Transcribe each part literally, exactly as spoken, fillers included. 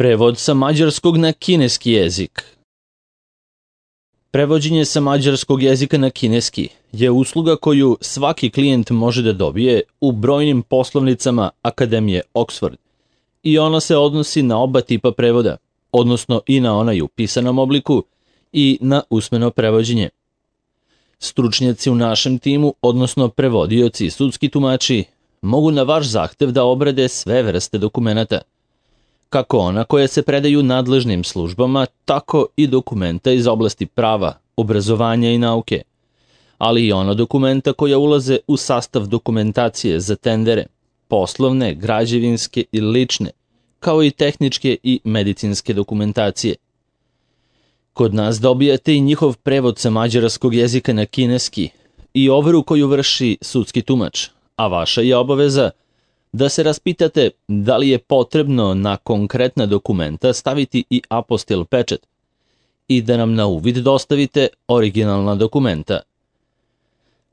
Prevod sa mađarskog na kineski jezik. Prevođenje sa mađarskog jezika na kineski je usluga koju svaki klijent može da dobije u brojnim poslovnicama Akademije Oxford i ona se odnosi na oba tipa prevoda, odnosno i na onaj u pisanom obliku i na usmeno prevođenje. Stručnjaci u našem timu, odnosno prevodioci i sudski tumači, mogu na vaš zahtev da obrade sve vrste dokumenata, kako ona koje se predaju nadležnim službama, tako i dokumenta iz oblasti prava, obrazovanja i nauke, ali i ona dokumenta koja ulaze u sastav dokumentacije za tendere, poslovne, građevinske i lične, kao i tehničke i medicinske dokumentacije. Kod nas dobijate i njihov prevod sa mađarskog jezika na kineski i overu koju vrši sudski tumač, a vaša je obaveza da se raspitate da li je potrebno na konkretna dokumenta staviti i apostil pečat i da nam na uvid dostavite originalna dokumenta.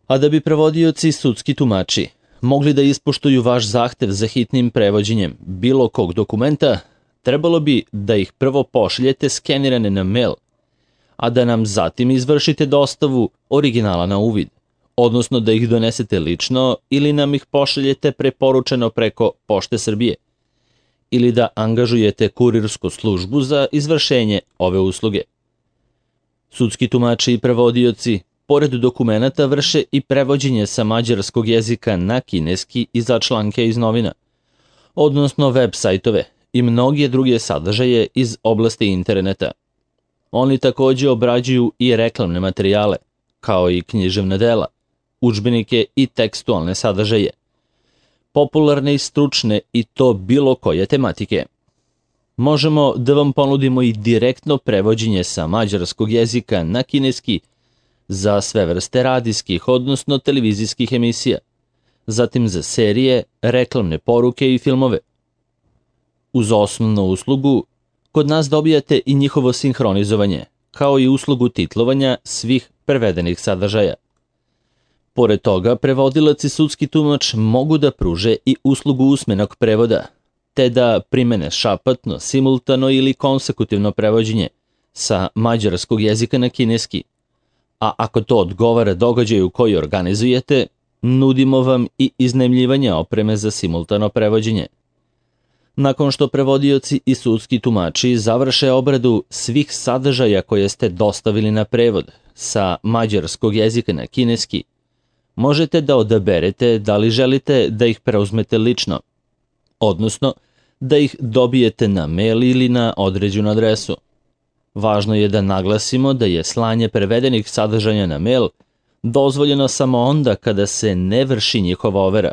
A da bi prevodioci i sudski tumači mogli da ispoštuju vaš zahtev za hitnim prevođenjem bilo kog dokumenta, trebalo bi da ih prvo pošaljete skenirane na mail, a da nam zatim izvršite dostavu originala na uvid, odnosno da ih donesete lično ili nam ih pošaljete preporučeno preko Pošte Srbije, ili da angažujete kurirsku službu za izvršenje ove usluge. Sudski tumači i prevodioci, pored dokumenata, vrše i prevođenje sa mađarskog jezika na kineski i za članke iz novina, odnosno web sajtove i mnoge druge sadržaje iz oblasti interneta. Oni takođe obrađuju i reklamne materijale, kao i književna dela, udžbenike i tekstualne sadržaje, popularne i stručne i to bilo koje tematike. Možemo da vam ponudimo i direktno prevođenje sa mađarskog jezika na kineski za sve vrste radijskih, odnosno televizijskih emisija, zatim za serije, reklamne poruke i filmove. Uz osnovnu uslugu, kod nas dobijate i njihovo sinhronizovanje, kao i uslugu titlovanja svih prevedenih sadržaja. Pored toga, prevodilac i sudski tumač mogu da pruže i uslugu usmenog prevoda, te da primene šapatno, simultano ili konsekutivno prevođenje sa mađarskog jezika na kineski. A ako to odgovara događaju koji organizujete, nudimo vam i iznajmljivanje opreme za simultano prevođenje. Nakon što prevodioci i sudski tumači završe obradu svih sadržaja koje ste dostavili na prevod sa mađarskog jezika na kineski, možete da odaberete da li želite da ih preuzmete lično, odnosno da ih dobijete na mail ili na određenu adresu. Važno je da naglasimo da je slanje prevedenih sadržaja na mail dozvoljeno samo onda kada se ne vrši njihova overa,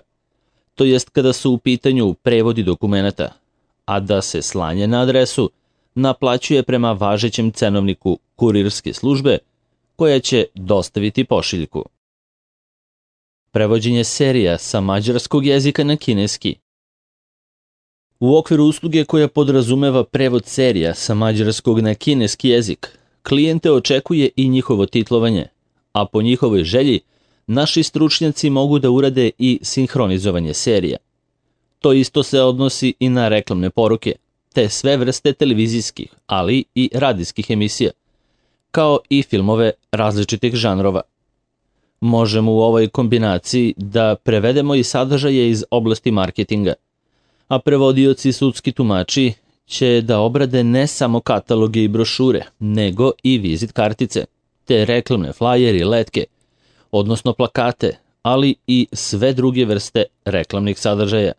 to jest kada su u pitanju prevodi dokumenata, a da se slanje na adresu naplaćuje prema važećem cenovniku kurirske službe koja će dostaviti pošiljku. Prevođenje serija sa mađarskog jezika na kineski. U okviru usluge koja podrazumeva prevod serija sa mađarskog na kineski jezik, klijente očekuje i njihovo titlovanje, a po njihovoj želji naši stručnjaci mogu da urade i sinhronizovanje serija. To isto se odnosi i na reklamne poruke, te sve vrste televizijskih, ali i radijskih emisija, kao i filmove različitih žanrova. Možemo u ovoj kombinaciji da prevedemo i sadržaje iz oblasti marketinga, a prevodioci i sudski tumači će da obrade ne samo kataloge i brošure, nego i vizit kartice, te reklamne flajere i letke, odnosno plakate, ali i sve druge vrste reklamnih sadržaja.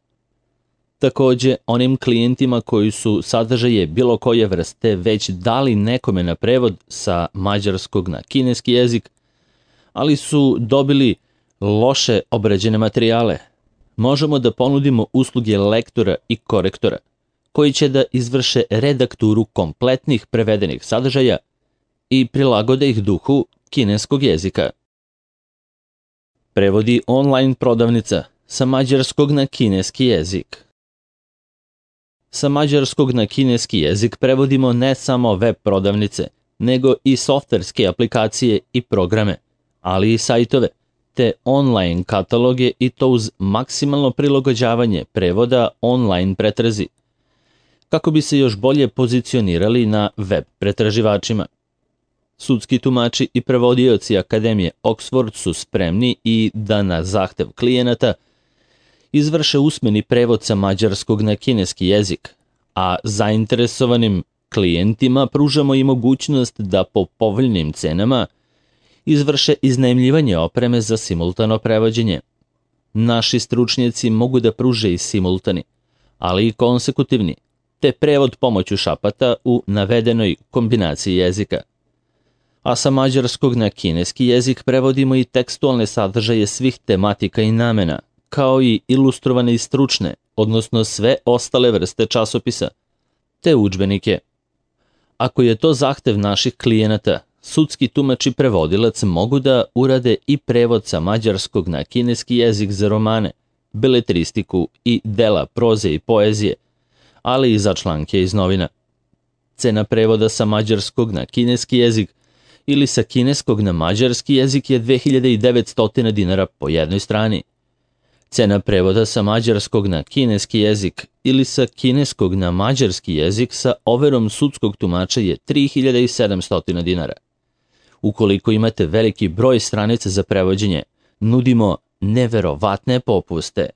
Takođe, onim klijentima koji su sadržaje bilo koje vrste već dali nekome na prevod sa mađarskog na kineski jezik, ali su dobili loše obrađene materijale, možemo da ponudimo usluge lektora i korektora, koji će da izvrše redakturu kompletnih prevedenih sadržaja i prilagode ih duhu kineskog jezika. Prevodi online prodavnica sa mađarskog na kineski jezik. Sa mađarskog na kineski jezik prevodimo ne samo web prodavnice, nego i softverske aplikacije i programe, ali i sajtove, te online kataloge i to uz maksimalno prilagođavanje prevoda online pretrazi. kako bi se još bolje pozicionirali na web pretraživačima. Sudski tumači i prevodioci Akademije Oxford su spremni i da na zahtev klijenata izvrše usmeni prevod sa mađarskog na kineski jezik, a zainteresovanim klijentima pružamo i mogućnost da po povoljnim cenama izvrše iznajmljivanje opreme za simultano prevođenje. Naši stručnjaci mogu da pruže i simultani, ali i konsekutivni, te prevod pomoću šapata u navedenoj kombinaciji jezika. A sa mađarskog na kineski jezik prevodimo i tekstualne sadržaje svih tematika i namena, kao i ilustrovane i stručne, odnosno sve ostale vrste časopisa, te udžbenike. Ako je to zahtev naših klijenata, sudski tumač i prevodilac mogu da urade i prevod sa mađarskog na kineski jezik za romane, beletristiku i dela proze i poezije, ali i za članke iz novina. Cena prevoda sa mađarskog na kineski jezik ili sa kineskog na mađarski jezik je dve hiljade devetsto dinara po jednoj strani. Cena prevoda sa mađarskog na kineski jezik ili sa kineskog na mađarski jezik sa overom sudskog tumača je tri hiljade sedamsto dinara. Ukoliko imate veliki broj stranica za prevođenje, nudimo neverovatne popuste.